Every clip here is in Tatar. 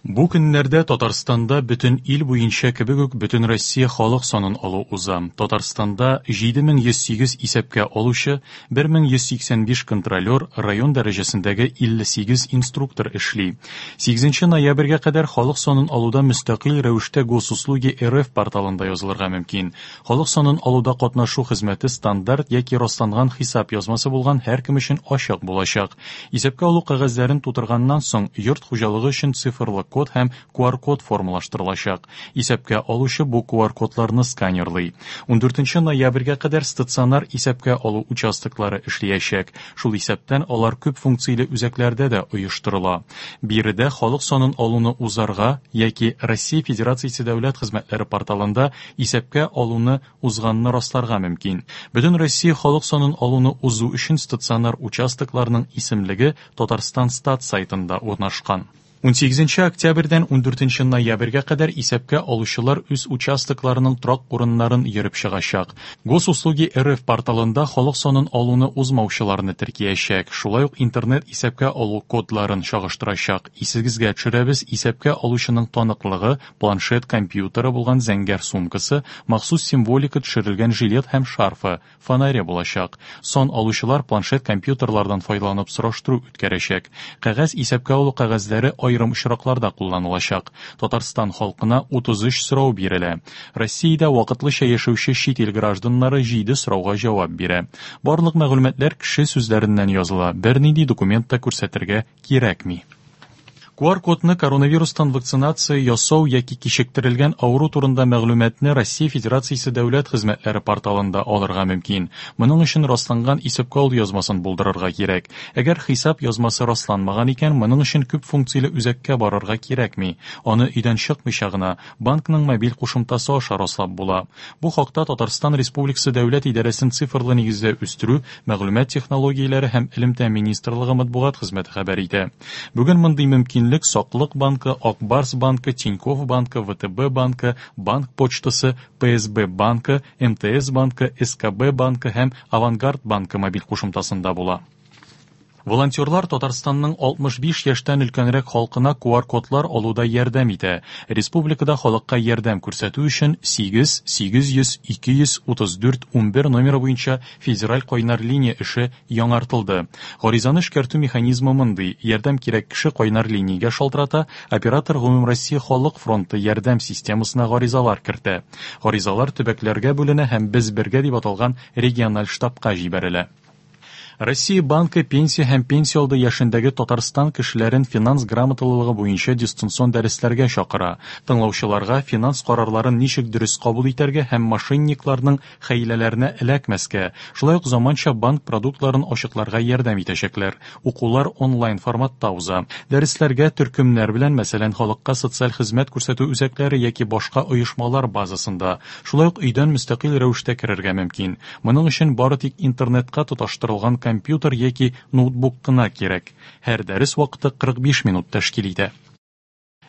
Бу көннәрдә Татарстанда бөтен ил буенча кебек үк Бөтенроссия халык санын алу уза. Татарстанда 7108 исәпкә алучы, 1185 контролер, район дәрәҗәсендәге 58 инструктор эшли. 8 ноябрьгә кадәр халык санын алуда мөстәкыйль рәвештә Госуслуги РФ порталында язылырга мөмкин. Халык санын алуда катнашу хезмәте стандарт яки расланган хисап язмасы булган һәркем өчен ачык булачак. Исәпкә алу кәгазьләрен тутырганнан соң, йорт хуҗалыгы өчен цифрлы код һәм QR-код формалаштырылачак. Исәпкә алучы бу QR-кодларны сканерлый. 14 ноябрьгә кадәр стационар исәпкә алу участоклары эшләячәк. Шул исәптән алар күп функцияле үзәкләрдә дә оештырыла. Биредә халык санын алуны узарга яки Россия Федерациясе дәүләт хезмәтләре порталында исәпкә алуны узганны расларга мөмкин. Бөтен Россия халык санын алуны узу өчен стационар участокларның исемлеге Татарстан стат сайтында урнашкан. 18 октябрьдән 14 ноябрьгә кадәр исәпкә алучылар үз участокларының торак урыннарын йөреп чыгачак. Госуслуги РФ порталында халык санын алуны узмаучыларны теркиячәк. Шулай ук интернет исәпкә алу кодларын чагыштырачак. Исегезгә төшерәбез, исәпкә алучының таныклыгы, планшет компьютеры булган зәңгәр сумкасы, махсус символика төшерелгән жилет һәм шарфы, фонаре булачак. Сан алучылар планшет компьютерлардан файдаланып сораштыру үткәрәчәк. Кәгазь исәпкә алу кәгазьләре аерым очракларда кулланылачак. Татарстан халкына 33 сорау бирелә. Россиядә вакытлыча яшәүче чит ил гражданнары 7 сорауга җавап бирә. Барлык мәгълүматлар кеше сүзләреннән языла, бернинди документ та күрсәтергә кирәкми. QR-кодны коронавирустан вакцинация ясау яки кичектерелгән авыру турында мәгълүматны Россия Федерациясе дәүләт хезмәтләре порталында алырга мөмкин. Моның өчен расланган исәпкә алу язмасын булдырырга кирәк. Әгәр хисап язмасы расланмаган икән, моның өчен күп функцияле үзәккә барырга кирәкми. Аны өйдән чыкмыйча гына банкның мобиль кушымтасы аша раслап була. Бу хакта Татарстан Республикасы Дәүләт идарәсен цифрлы нигездә үстерү, мәгълүмат технологияләре һәм элемтә министрлыгы матбугат хезмәте хәбәр итә. Бүген мондый мөмкинлек Саклык банкы, Ак Барс банкы, Тинькофф банкы, ВТБ банкы, Банк почтасы, ПСБ банкы, МТС банкы, СКБ банкы һәм Авангард банкы мобиль кушымтасында була. Волонтерлар Татарстанның 65 яшьтән өлкәнрәк халкына QR-кодлар алуда ярдәм итә. Республикада халыкка ярдәм күрсәтү өчен 8 800 234 11 номеры буенча федераль кайнар линия эше яңартылды. Гаризаны эшкәртү механизмы мондый: ярдәм кирәк кеше кайнар линиягә шалтырата, оператор Гомумроссия халык фронты ярдәм системасына гаризалар кертә. Гаризалар төбәкләргә бүленә һәм Без бергә дип аталган региональ штабка җибәрелә. Россия банкы пенсия һәм пенсия алды яшендәге Татарстан кешеләрен финанс грамоталылыгы буенча дистанцион дәресләргә чакыра. Тыңлаучыларга финанс карарларын ничек дөрес кабул итәргә һәм мошенникларның хәйләләренә эләкмәскә, шулай ук заманча банк продуктларын ачыкларга ярдәм итәчәкләр. Укулар онлайн форматта уза. Дәресләргә төркемнәр белән, мәсәлән, халыкка социаль хезмәт күрсәтү үзәкләре яки башка оешмалар базасында, шулай ук өйдән мөстәкыйль рәвештә керергә мөмкин. Моның өчен бары тик интернетка тоташтырылган компьютер яки ноутбук кына кирәк. Һәр дәрес вакыты 45 минут тәшкил итә.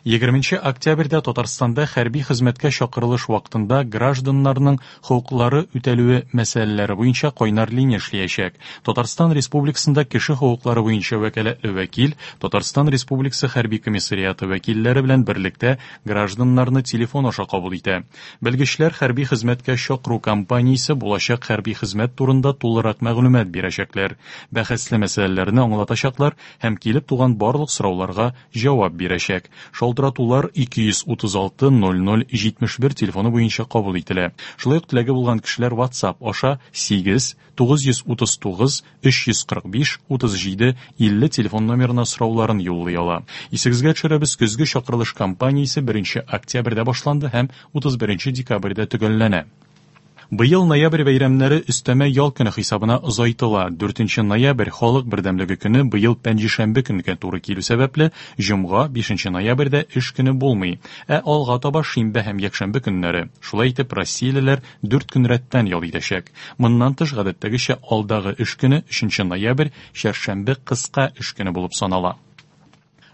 20 октябрьдә Татарстанда хәрби хезмәткә чакырылыш вакытында гражданнарның хокуклары үтәлүе мәсьәләләре буенча кайнар линия эшләячәк. Татарстан Республикасында кеше хокуклары буенча вәкаләтле вәкил Татарстан Республикасы хәрби комиссариаты вәкилләре белән берлектә гражданнарны телефон аша кабул итә. Белгечләр хәрби хезмәткә чакыру кампаниясе булачак хәрби хезмәт турында тулырак мәгълүмат бирәчәкләр, бәхәсле мәсьәләләрне аңлатачаклар һәм килеп туган барлык сорауларга җавап бирәчәк. Шалтыратулар 236 00 71 телефоны буенча кабул ителә. Шулай ук теләге булган кешеләр WhatsApp аша 8 939 345 37 50 телефон номерына сорауларын юллый ала. Исегезгә төшерәбез, көзге чакырылыш кампаниясе 1 октябрьдә башланды һәм 31 декабрьдә төгәлләнә. Быел ноябрь бәйрәмнәре өстәмә ял көне хисабына озайтыла. 4 ноябрь халык бердәмлеге көне быел пәнҗешәмбе көнгә туры килү сәбәпле, җомга 5 ноябрьдә эш көне булмый, ә алга таба шимбә һәм якшәмбе көннәре. Шулай итеп, россиялеләр 4 көн рәттән ял итәчәк. Моннан тыш, гадәттәгечә алдагы эш көне 3 ноябрь, чәршәмбе кыска эш көне булып санала.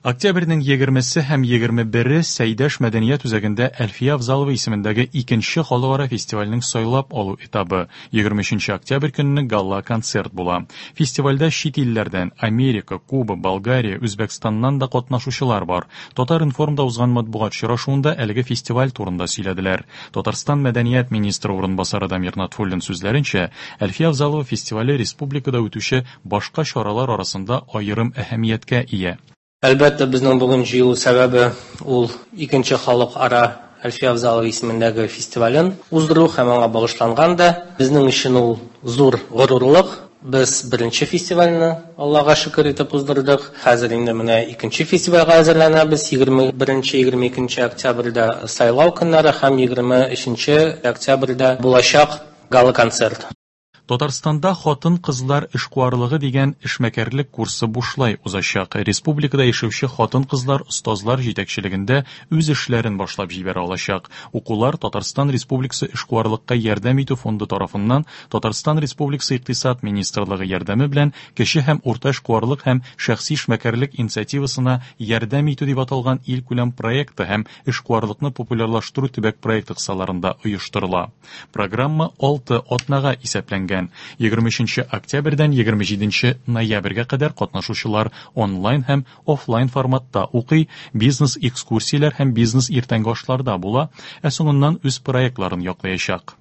Октябрьнең 20-се һәм 21-е Сәйдәш мәдәният үзәгендә Әлфия Авзалова исемендәге икенче халыкара фестивальнең сайлап алу этабы. 23 октябрь көнне гала-концерт була. Фестивальдә чит илләрдән Америка, Куба, Болгария, Үзбәкстаннан да катнашучылар бар. Татар-информда узган матбугат очрашуында әлеге фестиваль турында сөйләделәр. Татарстан мәдәният министры урынбасары Дамир Натфуллин сүзләренчә, Әлфия Авзалова фестивале республикада үтүче башка чаралар арасында аерым әһәмияткә ия. Әлбәттә, безнең бүген җыелу сәбәбе ул икенче халыкара Әлфия Авзалова исемендәге фестивален уздыру һәм аңа багышланган да. Безнең өчен ул зур горурлык. Без беренче фестивальне Аллага шөкер итеп уздырдык. Хәзер инде менә икенче фестивальгә әзерләнәбез. 21-22 октябрьдә сайлау көннәре һәм 23 октябрьдә булачак гала-концерт. Татарстанда хатын-кызлар эшкуарлыгы дигән эшмәкәрлек курсы бушлай узачак. Республикада яшәүче хатын-кызлар остазлар җитәкчелегендә үз эшләрен башлап җибәрә алачак. Укулар Татарстан Республикасы эшкуарлыкка ярдәм итү фонды тарафыннан Татарстан Республикасы Икътисад министрлыгы ярдәме белән кече һәм урта эшкуарлык һәм шәхси эшмәкәрлек инициативасына ярдәм итү дип аталган илкүләм проекты һәм эшкуарлыкны популярлаштыру төбәк проекты кысаларында оештырыла. Программа 6 атнага исәпләнгән. 23 октябрьдән 27 ноябрьгә кадәр катнашучылар онлайн һәм офлайн форматта укый, бизнес-экскурсияләр һәм бизнес-иртәнге ашларда була, ә соңыннан үз проектларын яклаячак.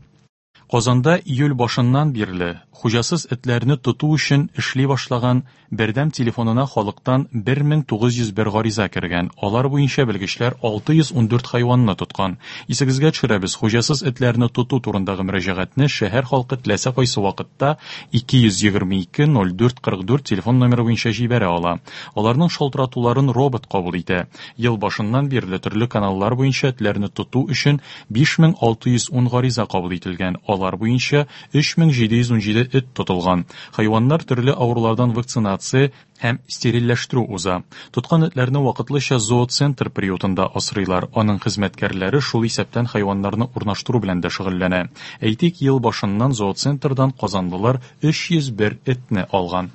Казанда июль башыннан бирле хуҗасыз этләрне тоту өчен эшли башлаган бердәм телефонына халыктан 1901 гариза кергән. Алар буенча белгечләр 614 хайванны тоткан. Исегезгә төшерәбез, хуҗасыз этләрне тоту турындагы мөрәҗәгатьне шәһәр халкы теләсә кайсы вакытта 222 04 44 телефон номеры буенча җибәрә ала. Аларның шалтыратуларын робот кабул итә. Ел башыннан бирле төрле каналлар буенча этләрне тоту өчен 5610 гариза кабул ителгән. Алар буенча 3717 эт тотылган. Хайваннар төрле авырулардан вакцинация һәм стерильләштерү уза. Тоткан этләрне вакытлыча зооцентр приютында асрыйлар. Аның хезмәткәрләре шул исәптән хайваннарны урнаштыру белән дә шөгыльләнә. Әйтик, ел башыннан зооцентрдан казанлылар 301 этне алган.